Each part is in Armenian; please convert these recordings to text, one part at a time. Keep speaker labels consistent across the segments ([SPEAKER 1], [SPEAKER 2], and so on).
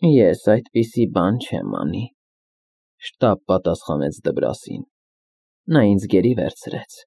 [SPEAKER 1] Ես այդպիսի բան չեմ անի, շտապ պատասխանեց Դբրասին։ Նա ինձ գերի վերցրեց,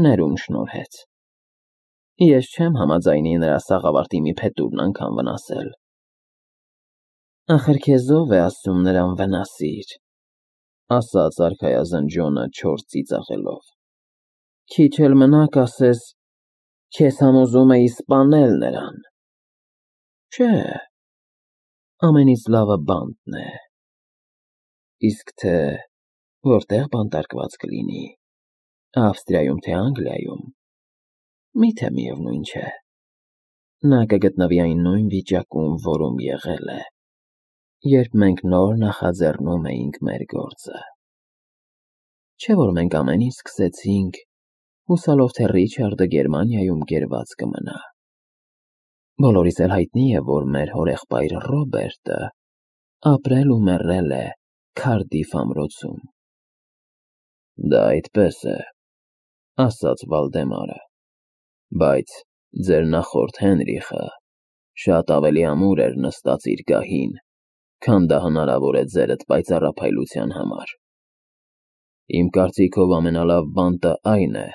[SPEAKER 1] ներում շնորհեց։ Ես չեմ համաձայնի նրա սաղավարտի մի փետուրն անգամ վնասել։ Ախր քեզ ով է ասում նրան վնասիր, ասաց արքայազն Ջոնը չոր ծիծաղելով։ Քիչ էլ մնա կասես, քեզ համոզում էի սպանել նրան։ Չէ, ամենից լավը բանտն է։ Իսկ թե որտեղ բանտարկված կլինի, Ավստրիայում թե Անգլիայում, միթե միևնույն չէ։ Նա կգտնվի այն նույն վիճակում, որում եղել է, երբ մենք նոր նախաձեռնում էինք մեր գործը։ Չէ՞ որ մենք ամեն ինչ սկսեցինք, հուսալով թե Ռիչարդը Գերմանիայում գերված կմնա։ Բոլորիս էլ հայտնի է, որ մեր հորեղբայր Ռոբերտը ապրել ու մեռել է Քարդիֆ ամրոցում։ Դա այդպես է, ասաց Վալդեմարը, բայց ձեր նախորդ Հենրիխը շատ ավելի ամուր էր նստած իր գահին, քան դա հնարավոր է ձերդ պայծառափայլության համար։ Իմ կարծիքով ամենալավ բանտը այն է,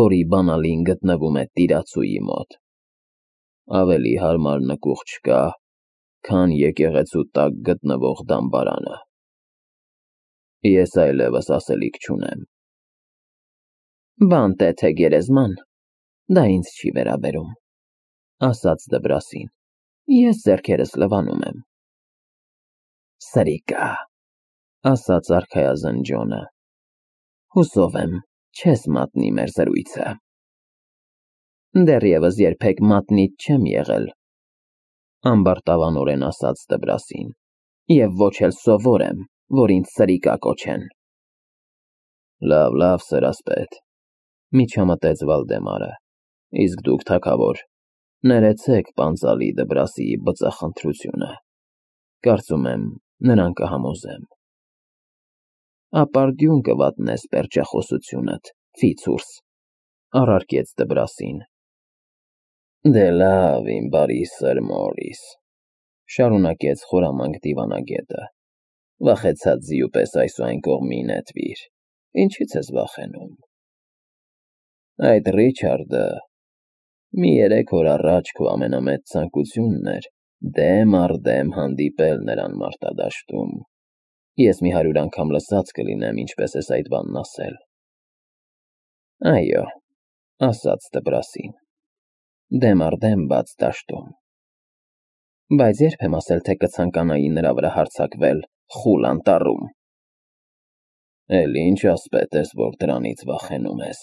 [SPEAKER 1] որի բանալին գտնվում է տիրացուի մոտ։ Ավելի հարմար նկուղ չկա, քան եկեղեցու տակ գտնվող դամբարանը։ Ես այլևս ասելիք չունեմ։ Բանտ է թե գերեզման, դա ինձ չի վերաբերում, ասաց Դբրասին։ Ես ձեռքերս լվանում եմ։ Սրիկա, ասաց արքայազն Ջոնը։ Հուսով եմ, չես մատնի մեր զրույցը։ Դեռևս երբեք մատնիչ չեմ եղել, ամբարտավանորեն ասաց Դբրասին, և ոչ էլ սովոր եմ, որ ինձ սրիկա կոչեն։ Լավ, սրասպետ, միջամտեց Վալդեմարը, իսկ դուք թագավոր, ներեցեք պանծալի Դբրասիի բծախնդրությունը, կարծում եմ, նրան կհամոզեմ։ Ապարդյուն կվատնես պերճախոսությունդ, Ֆիցուրս, առարկեց Դբրասին։ Դե լավ, իմ բարի սըր Մորիս, շարունակեց խորամանկ դիվանագետը, վախեցած ձիու պես այս ու այն կողմի նետվիր, ինչից ես վախենում։ Այդ Ռիչարդը մի 3 օր առաջ քո ամենամեծ ցանկությունն էր դեմ առ դեմ հանդիպել նրան մարտադաշտում։ Ես մի 100 անգամ լսած կլինեմ, ինչպես ես այդ բանն ասել։ Այո, ասաց Դբրասին, դեմ առ դեմ բաց դաշտում։ Բայց երբ եմ ասել, թե կցանկանայի նրա վրա հարձակվել խուլ անտառում։ Էլ ինչ ասպետ ես, որ դրանից վախենում ես,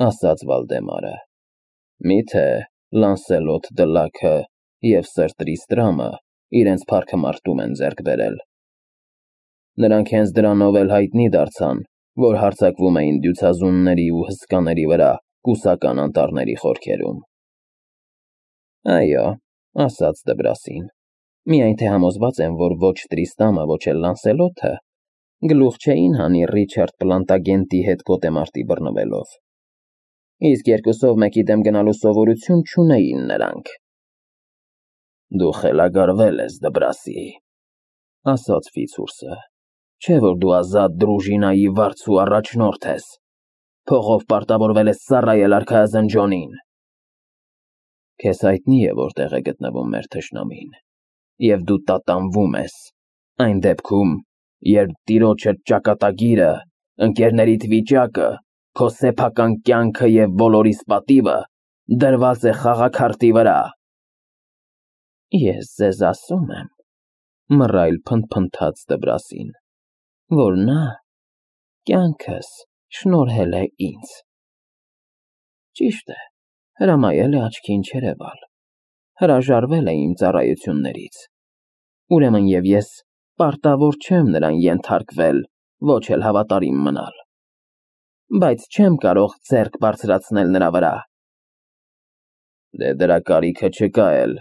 [SPEAKER 1] ասաց Վալդեմարը։ Միթե Լանսելոտ Դլաքը և Սր Տրիստրամը իրենց փառքը մարտում են ձեռք բերել։ Նրանք հենց դրանով էլ հայտնի դարձան, որ հարձակվում էին դյուցազունների ու հսկաների վրա կուսական անտառների խորքերում։ Այո, ասաց Դբրասին, միայն թե համոզված եմ, որ ոչ Տրիստամը, ոչ էլ Լանսելոթը գլուխ չէին հանի Ռիչարդ Պլանտագենտի հետ գոտեմարտի բռնվելով։ Իսկ երկուսով մեկի դեմ գնալու սովորություն չունեին նրանք։ Դու խելագարվել ես, Դբրասի, ասաց Ֆիցուրսը, չէ որ դու ազատ դրուժինայի վարձու առաջնորդ ես, փողով պարտավորվել ես ծառայել արքայազն Ջոնին։ Քեզ հայտնի է որտեղ է գտնվում մեր թշնամին, և դու տատանվում ես, այն դեպքում, երբ տիրոջդ ճակատագիրը, ընկերներիդ վիճակը, քո սեփական կյանքը և բոլորիս պատիվը դրված է խաղաքարտի վրա։ Ես ձեզ ասում եմ, մռայլ փնթփնթաց Դբրասին, որ նա կյանքս շնորհել է ինձ։ Ճիշտ է, հրամայել է աչքին չերևալ, հրաժարվել է իմ ծառայություններից, ուրեմն և ես պարտավոր չեմ նրան ենթարկվել, ոչ էլ հավատարիմ մնալ, բայց չեմ կարող ձեռք բարձրացնել նրա վրա։ Դե դրա կարիքը չկա էլ։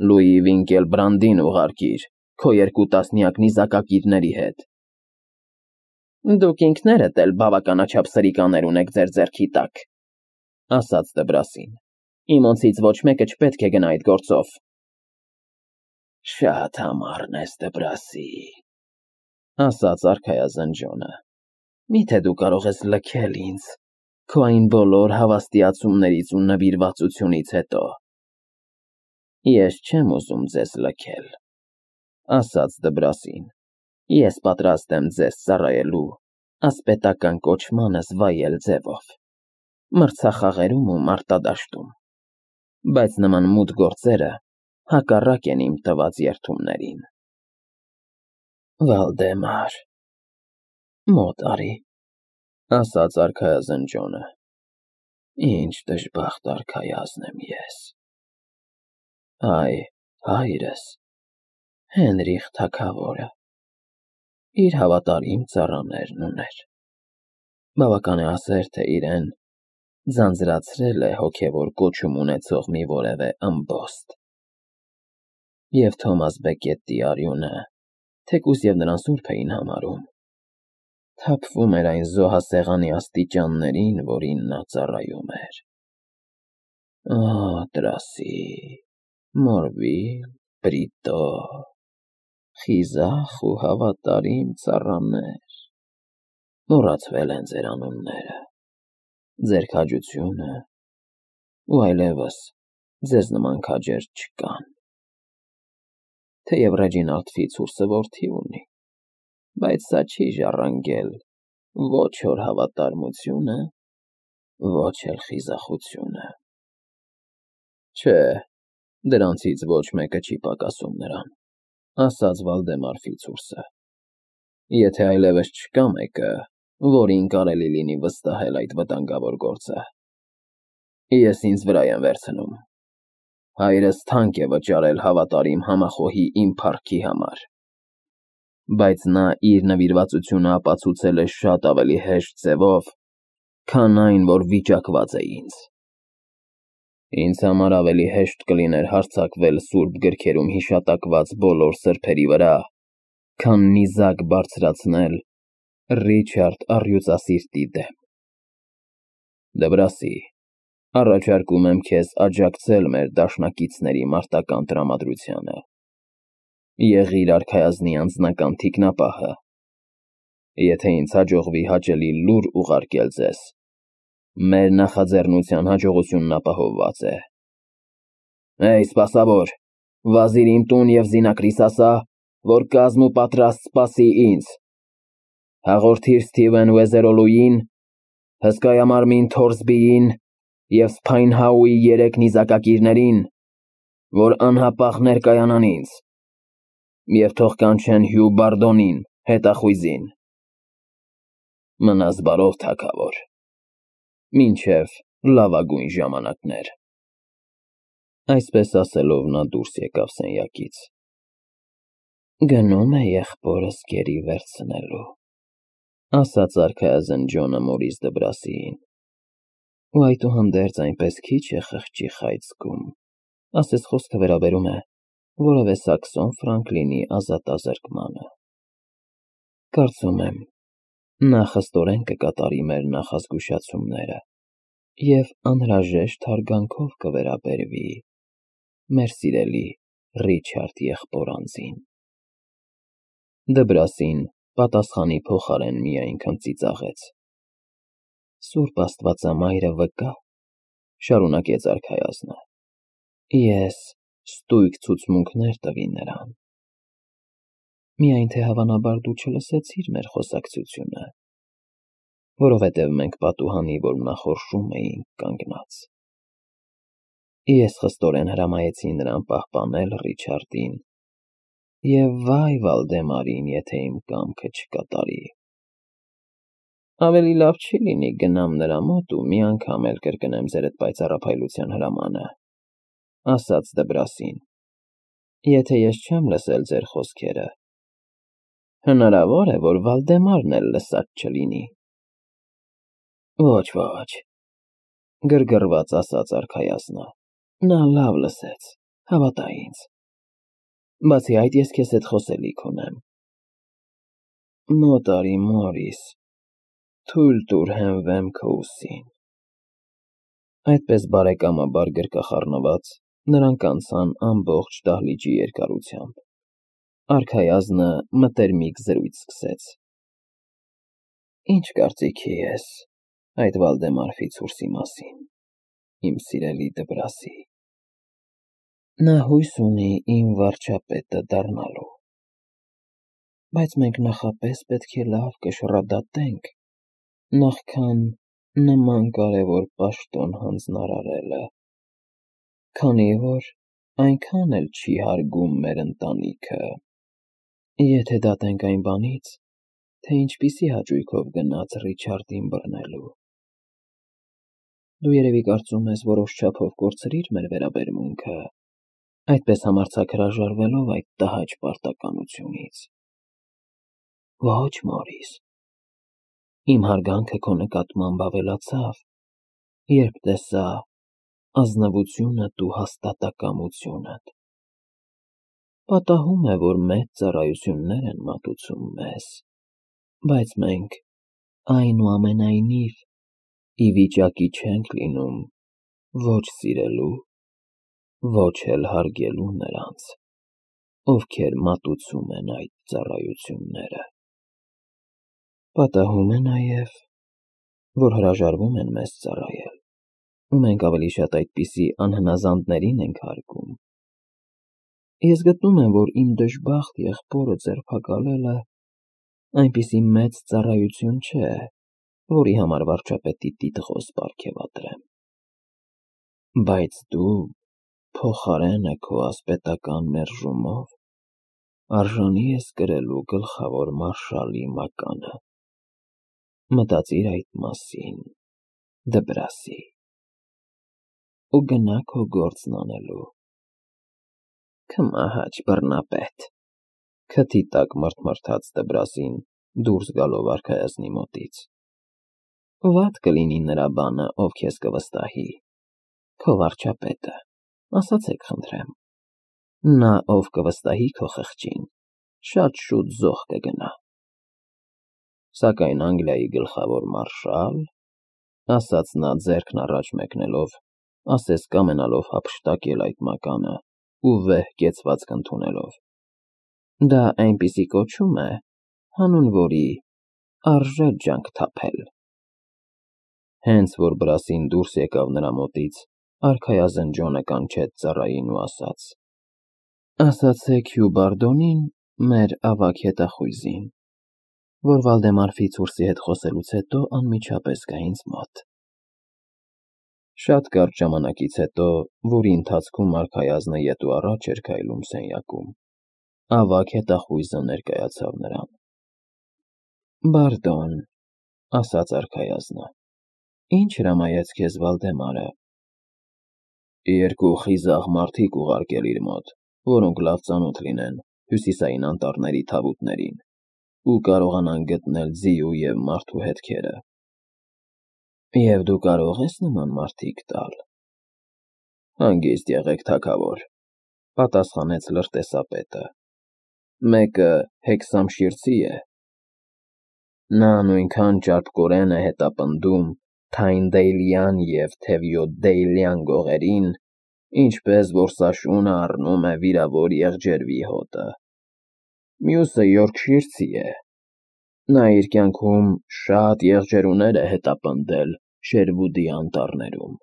[SPEAKER 1] Լուի Վինկելբրանդին ուղարկիր, քո 2 տասնյակ նիզակակիրների հետ։ Դուք ինքներդ էլ բավականաչափ սրիկաներ ունեք ձեր ձեռքի տակ, ասաց Դբրասին, իմոնցից ոչ մեկը չպետք է գնա այդ գործով։ Շատ համառն ես, Դբրասի, ասաց արքայազն Ջոնը։ Միթե դու կարող ես լքել ինձ քո այն բոլոր հավաստիացումներից ու նվիրվածությունից հետո։ Ես չեմ ուզում ձեզ լքել, ասաց Դբրասին։ Ես պատրաստ եմ ձեզ ծառայելու ասպետական կոչմանս վայել ձևով, մրցախաղերում ու մարտադաշտում, բայց նման մութ գործերը հակառակ են իմ տված երդումներին։ Վալդեմար, մոտ արի, ասաց արքայազն Ջոնը։ Ինչ դժբախտ արքայազն եմ ես։ Այ, հայրս, Հենրիխ թագավորը, իր հավատարիմ ծառաներն ուներ։ Բավական է ասել, թե իրեն ձանձրացրել է հոգևոր կոչում ունեցող մի որևէ ըմբոստ։ Եվ Թոմաս Բեկետի արյունը, թեկուզ և նրան սուրբ էին համարում, թափվում էր այն զոհասեղանի աստիճաններին, որին նա ծառայում էր։ Օ, Տրասի, Մորվիլ, Բրիտո, խիզախ ու հավատարիմ ծառաներ, մոռացվել են ձեր անունները, ձեր քաջությունը, ու այլևս ձեզ նման քաջեր չկան։ Թեև Ռեջինալդ Ֆիցուրսը որդի ունի, բայց սա չի ժառանգել ոչ հոր հավատարմությունը, ոչ էլ խիզախությունը։ Չէ, դրանցից ոչ մեկը չի պակասում նրան, ասաց Վալդեմար Ֆիցուրսը։ Եթե այլևս չկա մեկը, որին կարելի լինի վստահել այդ վտանգավոր գործը, ես ինձ վրա եմ վերցնում։ Հայրս թանկ է վճարել հավատարիմ համախոհի իմ փառքի համար, բայց նա իր նվիրվածությունը ապացուցել է շատ ավելի հեշտ ձևով, քան այն, որ վիճակված է ինձ։ Ինձ համար ավելի հեշտ կլիներ հարձակվել սուրբ գրքերում հիշատակված բոլոր սրբերի վրա, քան նիզակ բարձրացնել Ռիչարդ առյուծասիրտի դեմ։ Դբրասի, առաջարկում եմ քեզ աջակցել մեր դաշնակիցների մարտական տրամադրությանը։ Եղիր արքայազնի անձնական թիկնապահը։ Եթե ինձ հաջողվի հաճելի լուր ուղարկել ձեզ, մեր նախաձեռնության հաջողությունն ապահովված է։ Էй, սպասավոր, վազիր իմ տուն և զինակրիս ասա, որ կազմ ու պատրաստ սպասի ինձ։ Հաղորդիր Սթիվեն Ուեզերոլուին, հսկայամարմին Թորսբիին և Սփայնհաուի 3 նիզակակիրներին, որ անհապաղ ներկայանան ինձ, և թող կանչեն Հյու Բարդոնին, հետախույզին։ Մնաս բարով, թագավոր, մինչև լավագույն ժամանակներ։ Այսպես ասելով նա դուրս եկավ սենյակից։ Գնում է եղբորս գերի վերցնելու, ասաց արքայազն Ջոնը Մորիս Դբրասիին։ Ու այդուհանդերձ այնպես քիչ է խղճի խայծ զգում, ասես խոսքը վերաբերում է որևէ Սաքսոն Ֆրանկլինի ազատազրկմանը։ Կարծում եմ, նա խստորեն կկատարի մեր նախազգուշացումները և անհրաժեշտ հարգանքով կվերաբերվի մեր սիրելի Ռիչարդ եղբոր-անձին։ Դբրասին պատասխանի փոխարեն միայն քմծիծաղեց։ Սուրբ Աստվածամայրը վկա, շարունակեց արքայազնը, ես ստույգ ցուցմունքներ տվի նրան։ Միայն թե հավանաբար դու չլսեցիր մեր խոսակցությունը, որովհետև մենք պատուհանի որմնախորշում էինք կանգնած։ Ես խստորեն հրամայեցի նրան պահպանել Ռիչարդին և վայ Վալդեմարին, եթե իմ կամքը չկատարի։ Ավելի լավ չի լինի գնամ նրա մոտ ու մի անգամ էլ կրկնեմ ձերդ պայծառափայլության հրամանը, ասաց Դբրասին։ Եթե ես չեմ լսել ձեր խոսքերը, հնարավոր է, որ Վալդեմարն էլ լսած չլինի։ Ոչ, գրգռված ասաց արքայազնը, նա լավ լսեց, հավատա ինձ։ Բացի այդ, ես քեզ հետ խոսելիք ունեմ։ Մոտ արի, Մորիս, թույլ տուր հենվեմ քո ուսին։ Այդպես բարեկամաբար գրկախառնված Նրանք անցան ամբողջ դահլիճի երկարությամբ։ Արքայազնը մտերմիկ զրույց սկսեց. Ինչ կարծիքի ես այդ Վալդեմար Ֆիցուրսի մասին, իմ սիրելի Դբրասի։ Նա հույս ունի իմ վարչապետը դառնալու, բայց մենք նախապես պետք է լավ կշռադատենք, նախքան նման կարևոր պաշտոն հանձնարարելը, քանի որ այնքան էլ չի հարգում մեր ընտանիքը, եթե դատենք այն բանից, թե ինչպիսի հաճույքով գնաց Ռիչարդին բռնելու։ Դու երևի կարծում ես որոշ չափով կորցրիր մեր վերաբերմունքը, այդպես համարձակ հրաժարվելով այդ տհաճ պարտականությունից։ Ոչ, Մորիս, իմ հարգանքը քո նկատմամբ ավելացավ, երբ տեսա ազնվությունդ ու հաստատակամությունդ։ Պատահում է, որ մեծ ծառայություններ են մատուցում մեզ, բայց մենք, այնուամենայնիվ, ի վիճակի չենք լինում ոչ սիրելու, ոչ էլ հարգելու նրանց, ովքեր մատուցում են այդ ծառայությունները։ Պատահում է նաև, որ հրաժարվում են մեզ ծառայել, ու մենք ավելի շատ այդպիսի անհնազանդներին ենք հարգում։ Ես գտնում եմ, որ իմ դժբախտ եղբորը ձերբակալելը այնպիսի մեծ ծառայություն չէ, որի համար վարչապետի տիտղոս պարգևատրեմ։ Բայց դու, փոխարենը քո ասպետական մերժումով արժանի ես կրելու գլխավոր մարշալի մականը։ Մտածիր այդ մասին, Դբրասի, ու գնա քո գործն անելու։ Քմահաճ բռնապետ, քթի տակ մռթմռթաց Դբրասին դուրս գալով արքայազնի մոտից։ Վատ կլինի նրա բանը, ով քեզ կվստահի, քո վարչապետը, ասացեք խնդրեմ։ Նա, ով կվստահի քո խղճին, շատ շուտ զոհ կգնա։ Սակայն Անգլիայի գլխավոր մարշալ, ասաց նա ձեռքն առաջ մեկնելով, ասես կամենալով հափշտակել այդ մականը ու վեհ կեցվածք ընդունելով, դա այնպիսի կոչում է, հանուն որի արժե ջանք թափել։ Հենց որ Բրասին դուրս եկավ նրա մոտից, արքայազն Ջոնը կանչեց ծառային ու ասաց. Ասացեք Հյու Բարդոնին, մեր ավագ հետախույզին, որ Վալդեմար Ֆիցուրսի հետ խոսելուց հետո անմիջապես գա ինձ մոտ։ Շատ կարճ ժամանակից հետո, որի ընթացքում արքայազնը ետ ու առաջ էր քայլում սենյակում, ավագ հետախույզը ներկայացավ նրան։ Բարդոն, ասաց արքայազնը, ինչ հրամայեց քեզ Վալդեմարը։ Երկու խիզախ մարդիկ ուղարկել իր մոտ, որոնք լավ ծանոթ լինեն հյուսիսային անտառների թավուտներին ու կարողանան գտնել ձիու և մարդու հետքերը։ Եվ դու կարող ես նման մարդիկ տալ։ Հանգիստ եղեք, թագավոր, պատասխանեց լրտեսապետը։ Մեկը Հեքսամշիրցի է։ Նա նույնքան ճարպկորեն է հետապնդում Թայնդեյլյան և Թևյոդդեյլյան գողերին, ինչպես որ Սաշունը առնում է վիրավոր եղջերվի հոտը։ Մյուսը Յորքշիրցի է։ Նա իր կյանքում շատ եղջերուներ է հետապնդել Շերվուդի անտառներում։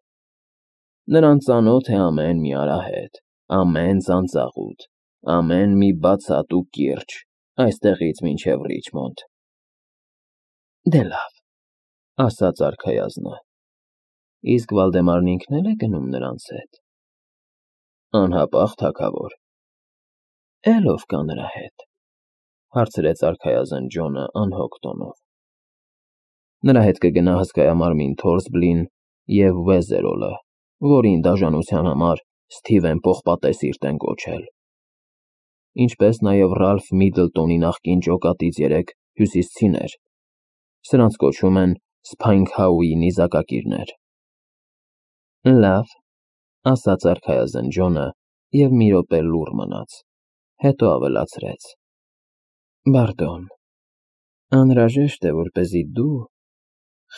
[SPEAKER 1] Նրան ծանոթ է ամեն մի արահետ, ամեն ծանծաղուտ, ամեն մի բացատ ու կիրճ, այստեղից մինչև Ռիչմոնդ։ Դե լավ, ասաց արքայազնը, իսկ Վալդեմարն ինքն է գնում նրանց հետ։ Անհապաղ, թագավոր։ Էլ ով կա նրա հետ, հարցրեց արքայազն Ջոնը անհոգ տոնով։ Նրա հետ կգնա հսկայամարմին Թորսբլին և Վեզերոլը, որին դաժանության համար Սթիվեն Պողպատեսիրտ են կոչել, ինչպես նաև Ռալֆ Միդլտոնի նախկին ջոկատից 3 հյուսիսցիներ, սրանց կոչում են Սփայնքհաուի նիզակակիրներ։ Լավ, ասաց արքայազն Ջոնը և մի րոպե լուռ մնաց, հետո ավելացրեց. Բարդոն, անհրաժեշտ է, որպեսզի դու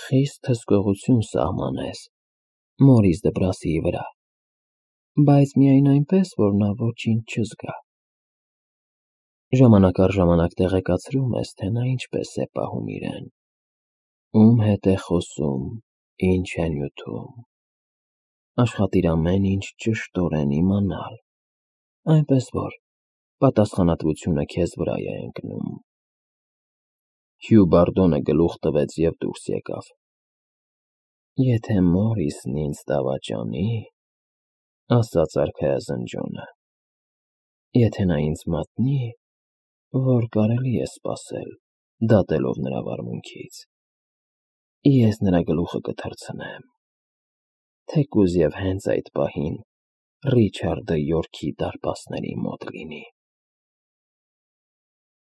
[SPEAKER 1] խիստ հսկողություն սահմանես Մորիս Դբրասիի վրա։ բայց միայն այնպես, որ նա ոչինչ չզգա։ Ժամանակ առ ժամանակ տեղեկացրում ես, թե նա ինչպես է պահում իրեն, ում հետ է խոսում, ինչ է նյութում։ Աշխատիր ամեն ինչ ճշտորեն իմանալ, այնպես որ պատասխանատվությունը քեզ վրա է ընկնում։ Հյու Բարդոնը գլուխ տվեց և դուրս եկավ։ Եթե Մորիսն ինձ դավաճանի, ասաց արքայազն Ջոնը, եթե նա ինձ մատնի, որ կարելի է սպասել, դատելով նրա վարմունքից, ես նրա գլուխը կթռցնեմ, թեկուզ և հենց այդ պահին Ռիչարդը Յորքի դարպասների մոտ լինի։